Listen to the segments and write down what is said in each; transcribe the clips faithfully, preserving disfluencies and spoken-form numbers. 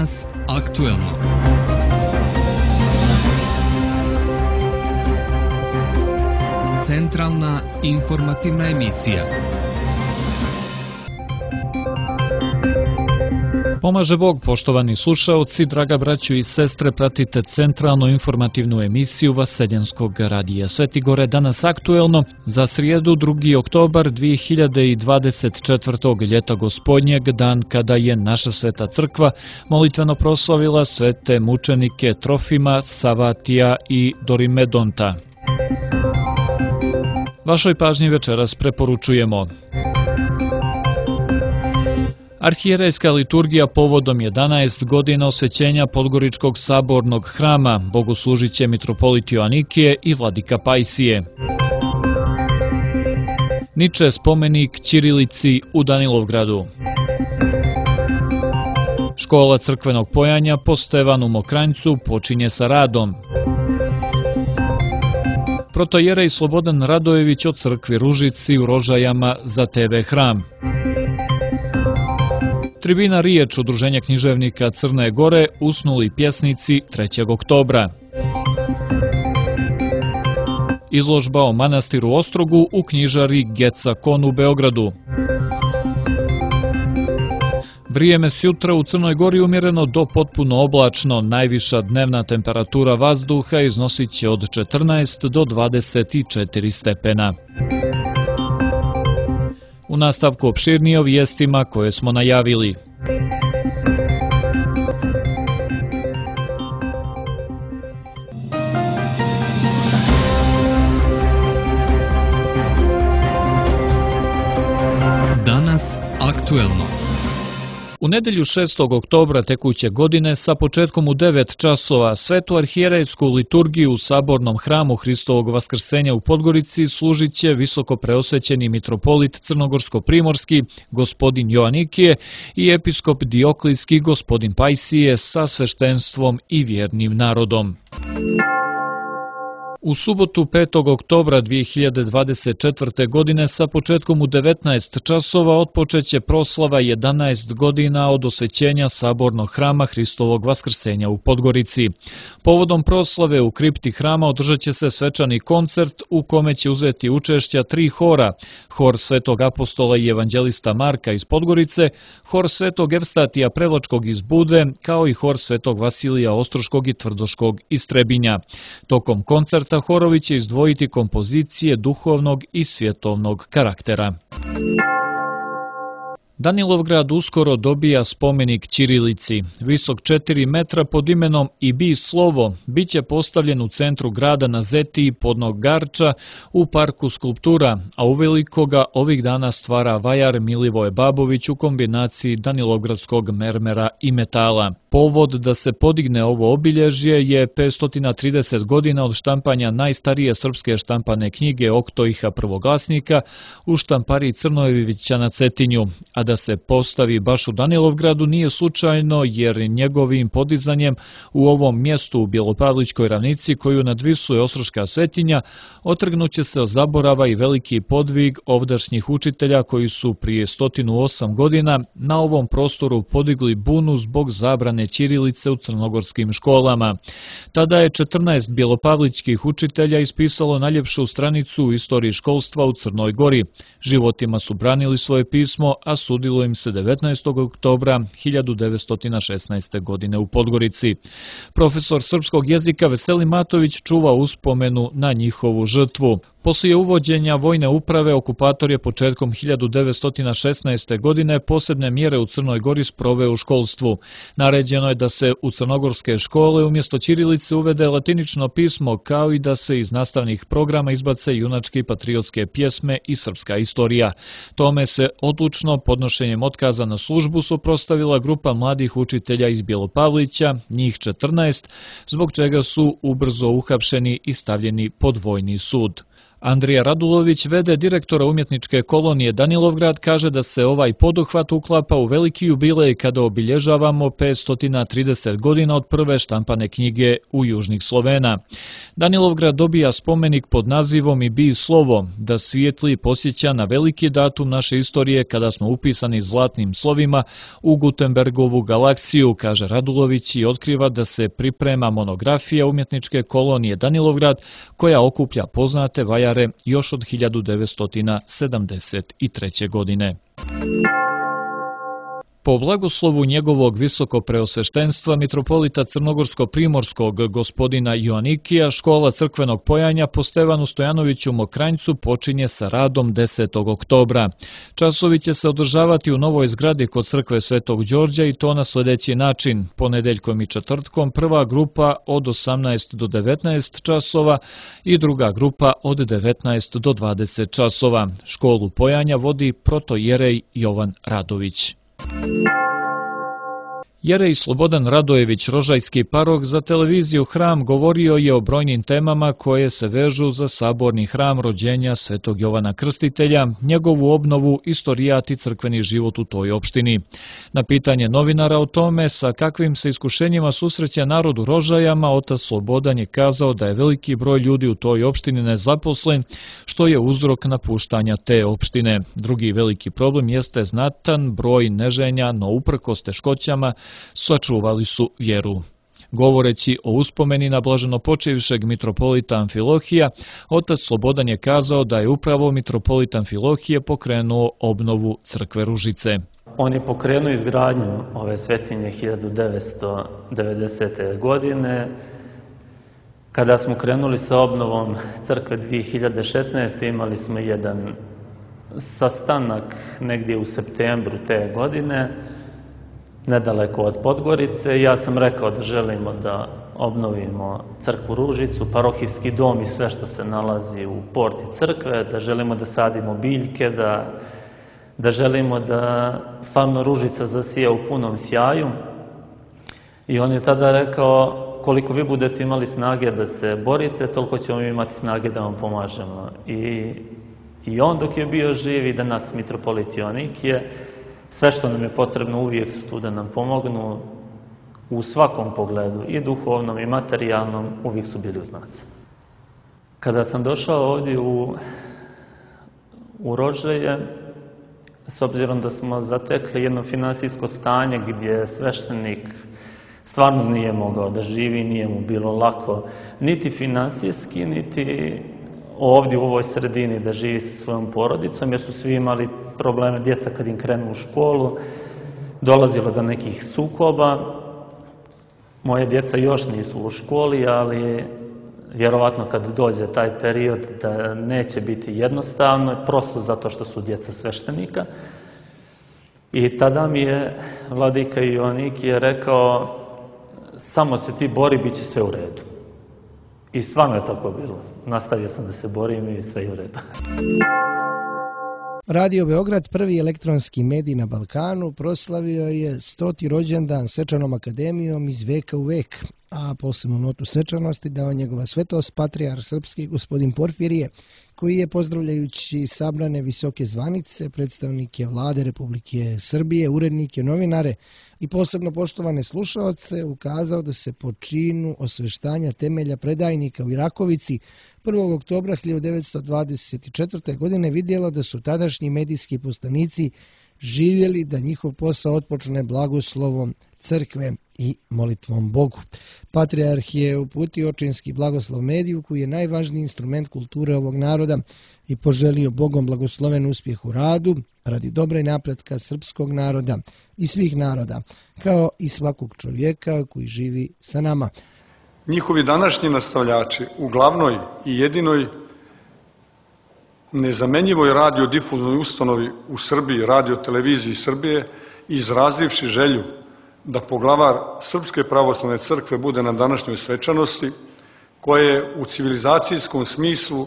Danas aktuelno. Centralna informativna emisija. Pomaže Bog, poštovani slušaoci, draga braćo i sestre, pratite centralnu informativnu emisiju Vaseljenskog radija Sveti Gore, danas aktuelno za srijedu drugi oktobar dvije hiljade dvadeset četvrtog. ljeta gospodnjeg, dan kada je naša sveta crkva molitveno proslavila svete mučenike Trofima, Savatija i Dorimedonta. Vašoj pažnji večeras preporučujemo: arhijerejska liturgija povodom jedanaest godina osvećenja Podgoričkog sabornog hrama, bogoslužit će mitropolit Joanikije i vladika Pajsije. Niče spomenik ćirilici u Danilovgradu. Škola crkvenog pojanja po Stevanu Mokranjcu počinje sa radom. Protojerej Slobodan Radojević o crkvi Ružici u Rožajama za te ve hram. Tribina Riječ Udruženja književnika Crne Gore usnuli pjesnici trećeg oktobra. Izložba o manastiru Ostrogu u knjižari Geca Kon u Beogradu. Vrijeme sjutra u Crnoj Gori umjereno do potpuno oblačno, najviša dnevna temperatura vazduha iznosit će od četrnaest do dvadeset četiri stepena. U nastavku opširnije o vijestima koje smo najavili. Danas aktuelno. U nedjelju šestog oktobra tekuće godine sa početkom u devet časova svetu arhijerejsku liturgiju u sabornom hramu Hristovog vaskrsenja u Podgorici služit će visoko preosvećeni mitropolit Crnogorsko-primorski gospodin Joanikije i episkop Dioklijski gospodin Pajsije sa sveštenstvom i vjernim narodom. U subotu petog oktobra dvije hiljade dvadeset četvrte. godine sa početkom u devetnaest časova otpočeće proslava jedanaest godina od osvećenja sabornog hrama Hristovog vaskrsenja u Podgorici. Povodom proslave u kripti hrama održat će se svečani koncert u kome će uzeti učešća tri hora: hor Svetog apostola i evanđelista Marka iz Podgorice, hor Svetog Evstatija Prevlačkog iz Budve, kao i hor Svetog Vasilija Ostroškog i Tvrdoškog iz Trebinja. Tokom koncerta horovi će izdvojiti kompozicije duhovnog i svjetovnog karaktera. Danilovgrad uskoro dobija spomenik ćirilici. Visok četiri metra pod imenom I bi slovo bit će postavljen u centru grada na Zetiji podnog Garča u parku skulptura, a uveliko ga ovih dana stvara vajar Milivoje Babović u kombinaciji danilovgradskog mermera i metala. Povod da se podigne ovo obilježje je petsto trideset godina od štampanja najstarije srpske štampane knjige Oktoiha prvoglasnika u štampariji Crnojevića na Cetinju, a da se postavi baš u Danilovgradu nije slučajno, jer njegovim podizanjem u ovom mjestu u Bjelopavlićkoj ravnici koju nadvisuje Ostroška svetinja otrgnuće se od zaborava i veliki podvig ovdašnjih učitelja koji su prije sto osam godina na ovom prostoru podigli bunu zbog zabrane ćirilice u crnogorskim školama. Tada je četrnaest bjelopavlićkih učitelja ispisalo najljepšu stranicu u istoriji školstva u Crnoj Gori. Životima su branili svoje pismo, a sudilo im se devetnaestog oktobra hiljadu devetsto šesnaeste. godine u Podgorici. Profesor srpskog jezika Veselin Matović čuva uspomenu na njihovu žrtvu. Poslije uvođenja vojne uprave, okupator je početkom hiljadu devetsto šesnaeste. godine posebne mjere u Crnoj Gori sproveo u školstvu. Naređeno je da se u crnogorske škole umjesto ćirilice uvede latinično pismo, kao i da se iz nastavnih programa izbace junačke i patriotske pjesme i srpska istorija. Tome se odlučno podnošenjem otkaza na službu suprotstavila grupa mladih učitelja iz Bjelopavlića, njih četrnaest, zbog čega su ubrzo uhapšeni i stavljeni pod vojni sud. Andrija Radulović, v d direktora umjetničke kolonije Danilovgrad, kaže da se ovaj poduhvat uklapa u veliki jubilej kada obilježavamo petsto trideset godina od prve štampane knjige u južnih Slovena. Danilovgrad dobija spomenik pod nazivom I bi slovo, da svijetli posjeća na veliki datum naše istorije kada smo upisani zlatnim slovima u Gutenbergovu galaksiju, kaže Radulović i otkriva da se priprema monografija umjetničke kolonije Danilovgrad koja okuplja poznate vajare još od hiljadu devetsto sedamdeset treće. godine. Po blagoslovu njegovog visokopreosveštenstva mitropolita Crnogorsko-primorskog gospodina Joanikija, škola crkvenog pojanja po Stevanu Stojanoviću Mokranjcu počinje sa radom desetog oktobra. Časovi će se održavati u novoj zgradi kod crkve Svetog Đorđa i to na sljedeći način. Ponedeljkom i četvrtkom prva grupa od osamnaest do devetnaest časova i druga grupa od devetnaest do dvadeset časova. Školu pojanja vodi protojerej Jovan Radović. Jerej Slobodan Radojević, rožajski parok, za televiziju Hram govorio je o brojnim temama koje se vežu za saborni hram rođenja Svetog Jovana Krstitelja, njegovu obnovu, istorijat i crkveni život u toj opštini. Na pitanje novinara o tome sa kakvim se iskušenjima susreće narod u Rožajama, otac Slobodan je kazao da je veliki broj ljudi u toj opštini nezaposlen, što je uzrok napuštanja te opštine. Drugi veliki problem jeste znatan broj neženja, no uprkos teškoćama sačuvali su vjeru. Govoreći o uspomeni na blaženopočevšeg mitropolita Amfilohija, otac Slobodan je kazao da je upravo mitropolit Amfilohije pokrenuo obnovu crkve Ružice. On je pokrenuo izgradnju ove svetinje hiljadu devetsto devedesete. godine. Kada smo krenuli sa obnovom crkve dvije hiljade šesnaeste. imali smo jedan sastanak negdje u septembru te godine, nedaleko od Podgorice. Ja sam rekao da želimo da obnovimo crkvu Ružicu, parohijski dom i sve što se nalazi u porti crkve, da želimo da sadimo biljke, da, da želimo da stvarno Ružica zasija u punom sjaju. I on je tada rekao, koliko vi budete imali snage da se borite, toliko ćemo imati snage da vam pomažemo. I, i on dok je bio živ i danas mitropolit Joanikije, sve što nam je potrebno uvijek su tu da nam pomognu u svakom pogledu, i duhovnom i materijalnom, uvijek su bili uz nas. Kada sam došao ovdje u, u Rožaje, s obzirom da smo zatekli jedno finansijsko stanje gdje sveštenik stvarno nije mogao da živi, nije mu bilo lako, niti finansijski, niti ovdje u ovoj sredini da živi sa svojom porodicom, jer su svi imali probleme, djeca kad im krenu u školu, dolazilo do nekih sukoba. Moje djeca još nisu u školi, ali vjerovatno kad dođe taj period da neće biti jednostavno, prosto zato što su djeca sveštenika. I tada mi je vladika Joanikije rekao, samo se ti bori, bit će sve u redu. I stvarno je tako bilo. Nastavio sam da se borim i sve je u redu. Radio Beograd, prvi elektronski medij na Balkanu, proslavio je stoti rođendan Svečanom akademijom iz veka u vek, a posebnu notu svečanosti dao njegova svetost patrijarh srpski gospodin Porfirije, koji je, pozdravljajući sabrane visoke zvanice, predstavnike vlade Republike Srbije, urednike, novinare i posebno poštovane slušaoce, ukazao da se po činu osveštanja temelja predajnika u Irakovici prvog oktobra hiljadu devetsto dvadeset četvrte. godine vidjelo da su tadašnji medijski poslanici živjeli da njihov posao otpočne blagoslovom crkve i molitvom Bogu. Patrijarh je uputio očinski blagoslov mediju, koji je najvažniji instrument kulture ovog naroda, i poželio Bogom blagosloven uspjeh u radu radi dobra i napretka srpskog naroda i svih naroda, kao i svakog čovjeka koji živi sa nama. Njihovi današnji nastavljači u glavnoj i jedinoj nezamenjivoj radiodifuzivnoj ustanovi u Srbiji, Radio televiziji Srbije, izrazivši želju da poglavar Srpske pravoslavne crkve bude na današnjoj svečanosti, koja je u civilizacijskom smislu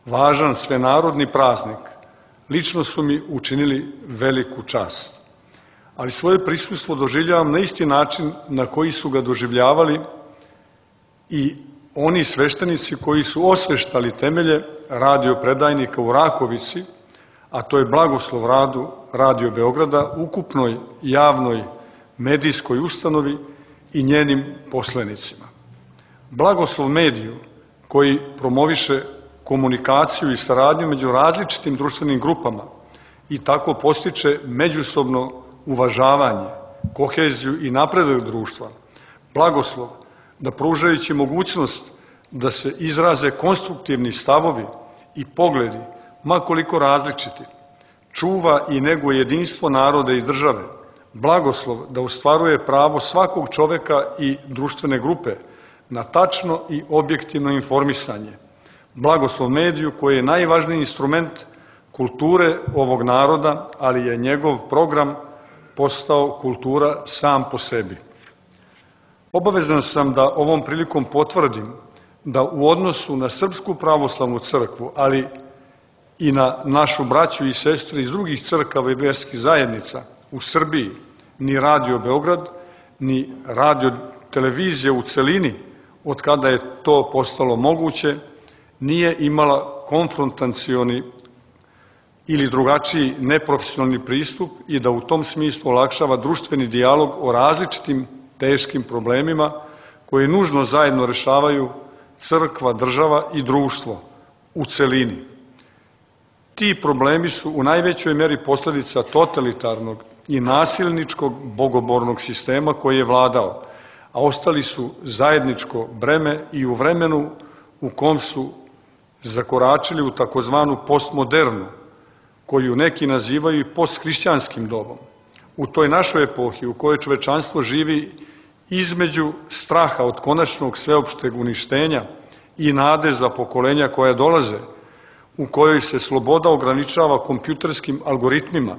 važan svenarodni praznik, lično su mi učinili veliku čast. Ali svoje prisustvo doživljavam na isti način na koji su ga doživljavali i oni sveštenici koji su osveštali temelje radiopredajnika u Rakovici, a to je blagoslov radu Radio Beograda, ukupnoj javnoj medijskoj ustanovi i njenim poslenicima. Blagoslov mediju koji promoviše komunikaciju i saradnju među različitim društvenim grupama i tako postiče međusobno uvažavanje, koheziju i napredak društva. Blagoslov da pružajući mogućnost da se izraze konstruktivni stavovi i pogledi, ma koliko različiti, čuva i neguje jedinstvo naroda i države. Blagoslov da ostvaruje pravo svakog čoveka i društvene grupe na tačno i objektivno informisanje. Blagoslov mediju koji je najvažniji instrument kulture ovog naroda, ali je njegov program postao kultura sam po sebi. Obavezan sam da ovom prilikom potvrdim da u odnosu na Srpsku pravoslavnu crkvu, ali i na našu braću i sestre iz drugih crkava i verskih zajednica u Srbiji, ni Radio Beograd, ni radio televizija u celini, od kada je to postalo moguće, nije imala konfrontacioni ili drugačiji neprofesionalni pristup i da u tom smislu olakšava društveni dijalog o različitim teškim problemima koje nužno zajedno rešavaju crkva, država i društvo u celini. Ti problemi su u najvećoj meri posledica totalitarnog i nasilničkog bogobornog sistema koji je vladao, a ostali su zajedničko breme i u vremenu u kom su zakoračili u takozvanu postmodernu, koju neki nazivaju i posthrišćanskim dobom. U toj našoj epohi u kojoj čovečanstvo živi između straha od konačnog sveopšteg uništenja i nade za pokolenja koja dolaze, u kojoj se sloboda ograničava kompjuterskim algoritmima,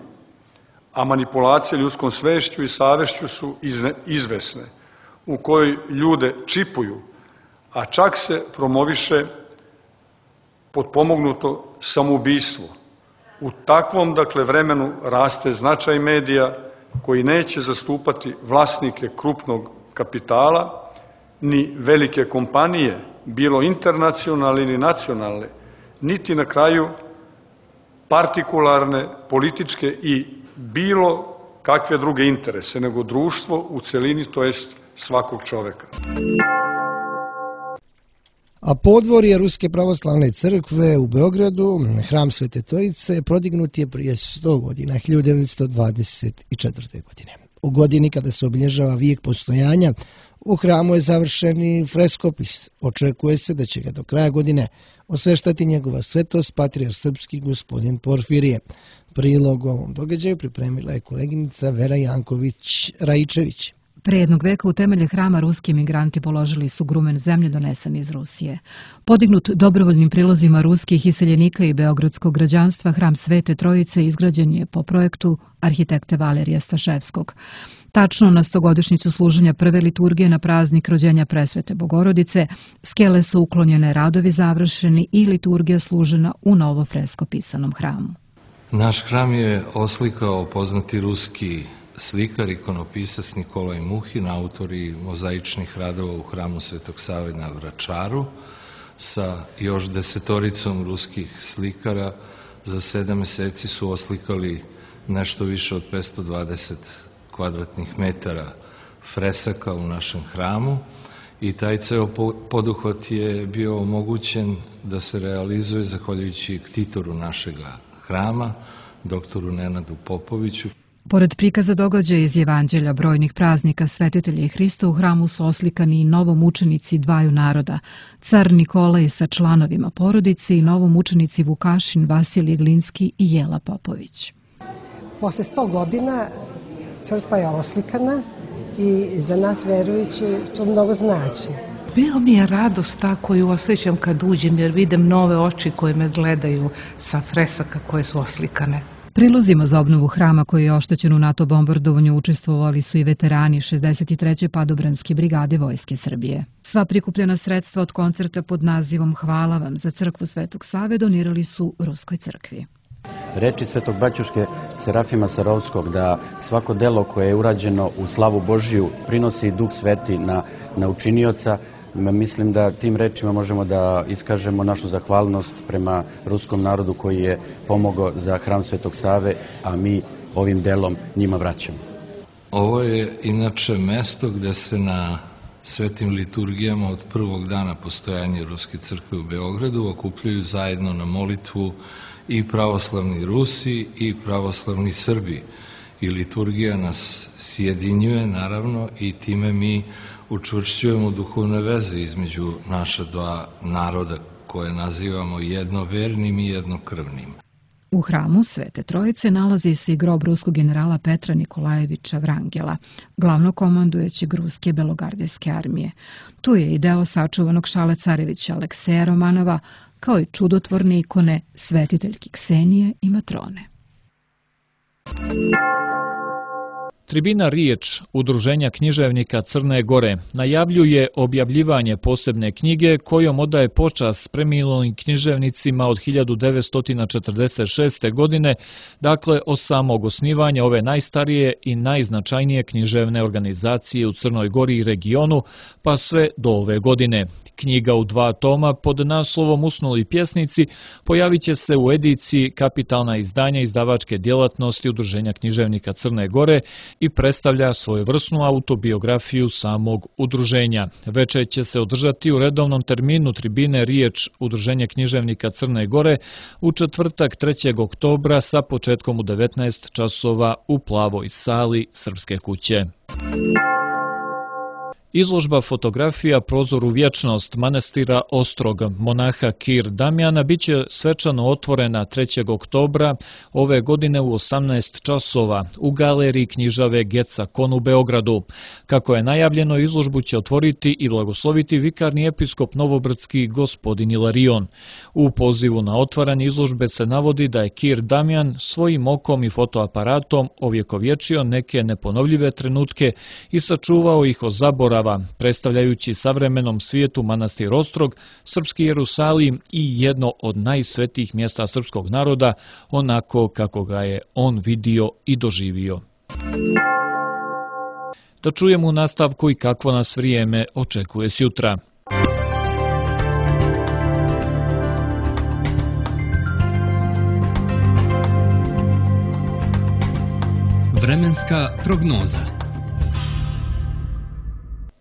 a manipulacije ljudskom svešću i savešću su izvesne, u kojoj ljude čipuju, a čak se promoviše potpomognuto samoubistvo. U takvom, dakle, vremenu raste značaj medija koji neće zastupati vlasnike krupnog kapitala, ni velike kompanije, bilo internacionalne ni nacionalne, niti na kraju partikularne, političke i bilo kakve druge interese, nego društvo u celini, to jest svakog čoveka. A podvorje Ruske pravoslavne crkve u Beogradu, hram Svete Trojice, prodignut je prije sto godina, hiljadu devetsto dvadeset četvrte. godine. U godini kada se obilježava vijek postojanja, u hramu je završen i freskopis. Očekuje se da će ga do kraja godine osveštati njegova svetost, patrijarh srpski gospodin Porfirije. Prilog ovom događaju pripremila je koleginica Vera Janković-Raičević. Pre jednog veka u temelje hrama ruski migranti položili su grumen zemlje donesen iz Rusije. Podignut dobrovoljnim prilozima ruskih iseljenika i beogradskog građanstva, hram Svete Trojice izgrađen je po projektu arhitekte Valerija Staševskog. Tačno na stogodišnjicu služenja prve liturgije na praznik rođenja Presvete Bogorodice, skele su uklonjene, radovi završeni i liturgija služena u novo fresko pisanom hramu. Naš hram je oslikao poznati ruski slikar, ikonopisac Nikolaj Muhin, autor i mozaičnih radova u hramu Svetog Save na Vračaru, sa još desetoricom ruskih slikara. Za sedam meseci su oslikali nešto više od petsto dvadeset kvadratnih metara fresaka u našem hramu i taj ceo poduhvat je bio omogućen da se realizuje zahvaljujući ktitoru našega hrama, doktoru Nenadu Popoviću. Pored prikaza događaja iz Evanđelja brojnih praznika Svetitelja i Hrista, u hramu su oslikani i novomučenici dvaju naroda, car Nikolaj sa članovima porodice i novomučenici Vukašin, Vasilij Glinski i Jela Popović. Posle sto godina crkva je oslikana i za nas verujući to mnogo znači. Bilo mi je radost ta koju osjećam kad uđem, jer vidim nove oči koje me gledaju sa fresaka koje su oslikane. Prilozima za obnovu hrama koji je oštećen u NATO bombardovanju učestvovali su i veterani šezdeset treće padobranske brigade Vojske Srbije. Sva prikupljena sredstva od koncerta pod nazivom Hvala vam za crkvu Svetog Save donirali su Ruskoj crkvi. Reči Svetog Baćuške Serafima Sarovskog da svako delo koje je urađeno u slavu Božiju prinosi Duh Sveti na, na učinioca Mislim da tim rečima možemo da iskažemo našu zahvalnost prema ruskom narodu koji je pomogao za hram Svetog Save, a mi ovim delom njima vraćamo. Ovo je inače mesto gde se na svetim liturgijama od prvog dana postojanja Ruske crkve u Beogradu okupljaju zajedno na molitvu i pravoslavni Rusi i pravoslavni Srbi. I liturgija nas sjedinjuje, naravno, i time mi učvršćujemo duhovne veze između naša dva naroda koje nazivamo jednovernim i jednokrvnim. U hramu Svete Trojice nalazi se i grob ruskog generala Petra Nikolajevića Vrangela, glavnokomandujućeg ruske belogardijske armije. Tu je i deo sačuvanog šale carevića Alekseja Romanova, kao i čudotvorne ikone svetiteljki Ksenije i Matrone. Tribina Riječ, Udruženja književnika Crne Gore, najavljuje objavljivanje posebne knjige kojom odaje počast preminulim književnicima od hiljadu devetsto četrdeset šeste. godine, dakle od samog osnivanja ove najstarije i najznačajnije književne organizacije u Crnoj Gori i regionu, pa sve do ove godine. Knjiga u dva toma pod naslovom Usnuli pjesnici pojavit će se u ediciji Kapitalna izdanja izdavačke djelatnosti Udruženja književnika Crne Gore i predstavlja svojevrsnu autobiografiju samog udruženja. Večer će se održati u redovnom terminu tribine Riječ Udruženja književnika Crne Gore u četvrtak trećeg oktobra sa početkom u devetnaest časova u plavoj sali Srpske kuće. Izložba fotografija Prozor u vječnost manastira Ostrog monaha Kir Damjana biće svečano otvorena trećeg oktobra ove godine u osamnaest časova u galeriji knjižave Geca Kon u Beogradu. Kako je najavljeno, izložbu će otvoriti i blagosloviti vikarni episkop Novobrdski gospodin Ilarion. U pozivu na otvaranje izložbe se navodi da je Kir Damjan svojim okom i fotoaparatom ovjekovječio neke neponovljive trenutke i sačuvao ih od zaborava, predstavljajući savremenom svijetu manastir Ostrog, srpski Jerusalim i jedno od najsvetijih mjesta srpskog naroda, onako kako ga je on vidio i doživio. Da čujemo u nastavku i kakvo nas vrijeme očekuje sjutra. Vremenska prognoza.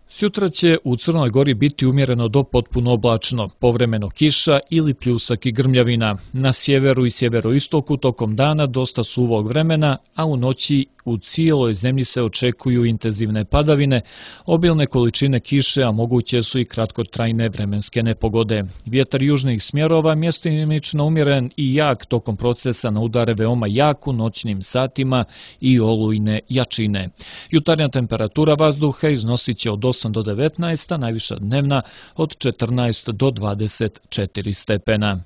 Sutra će u Crnoj Gori biti umjereno do potpuno oblačno, povremeno kiša ili pljusak i grmljavina. Na sjeveru i sjeveroistoku tokom dana dosta suvog vremena, a u noći u cijeloj zemlji se očekuju intenzivne padavine, obilne količine kiše, a moguće su i kratkotrajne vremenske nepogode. Vjetar južnih smjerova mjestimično umjeren i jak tokom procesa na udare veoma jak u noćnim satima i olujne jačine. Jutarnja temperatura vazduha iznosit će od osam do devetnaest, a najviša dnevna od četrnaest do dvadeset četiri stepena.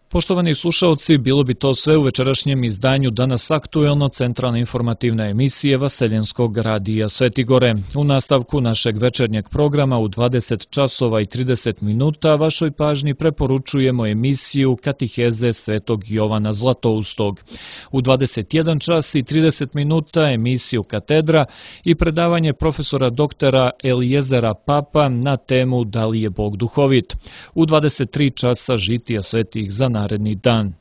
Poštovani slušalci, bilo bi to sve u večerašnjem izdanju Danas aktuelno, centralna informativna emisija Vaseljenskog radija Sveti Gore. U nastavku našeg večernjeg programa u dvadeset časova i trideset minuta vašoj pažnji preporučujemo emisiju Katiheze Svetog Jovana Zlatoustog. U dvadeset jedan čas i trideset minuta emisiju Katedra i predavanje profesora doktora Elijezera Papa na temu Da li je Bog duhovit. U dvadeset tri časa žitija svetih za naredni dan.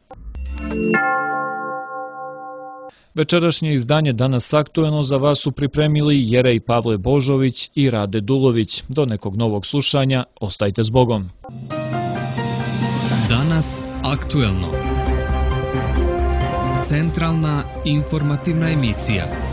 Večerašnje izdanje Danas aktuelno za vas su pripremili Jerej Pavle Božović i Rade Dulović. Do nekog novog slušanja, ostajte s Bogom. Danas aktuelno. Centralna informativna emisija.